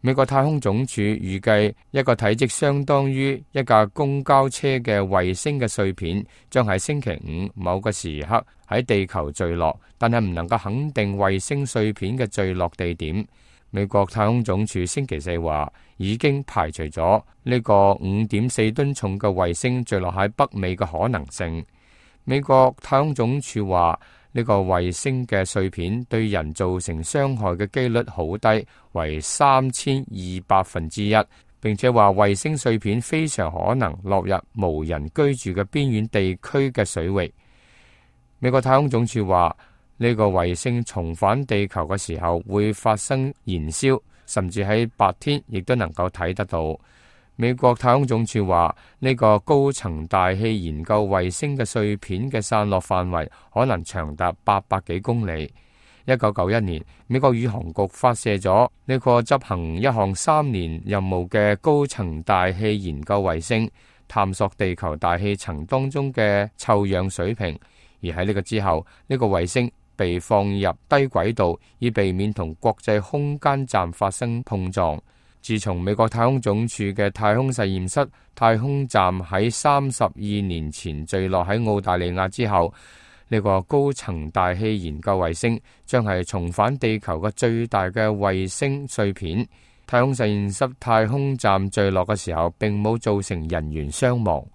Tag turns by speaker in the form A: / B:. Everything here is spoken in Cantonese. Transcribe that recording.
A: 美國太空總署預計一個體積相當於一架公交車嘅衛星嘅碎片將喺星期五某個時刻喺地球墜落，但係唔能夠肯定衛星碎片嘅墜落地點。美國太空總署星期四話已經排除咗呢個5.4噸重嘅衛星墜落喺北美嘅可能性。美國太空總署話呢個衛星嘅碎片對人造成傷害嘅幾率好低，為3200%，並且話衛星碎片非常可能落入無人居住嘅邊遠地區嘅水域。美國太空總署話呢個衛星重返地球嘅時候會發生燃燒，甚至喺白天亦都能夠睇得到。美國太空總署話呢個高層大氣研究衛星嘅碎片嘅散落範圍可能長達800幾公里。1991年，美國宇航局發射咗呢個執行一項3年任務嘅高層大氣研究衛星，探索地球大氣層當中嘅臭氧水平。而喺呢個之後，呢個衛星被放入低軌道，以避免同國際空間站發生碰撞。自從美國太空總署嘅太空實驗室太空站喺32年前墜落喺澳大利亞之後，呢個高層大氣研究衛星將係重返地球嘅最大嘅衛星碎片。太空實驗室太空站墜落嘅時候，並冇造成人員傷亡。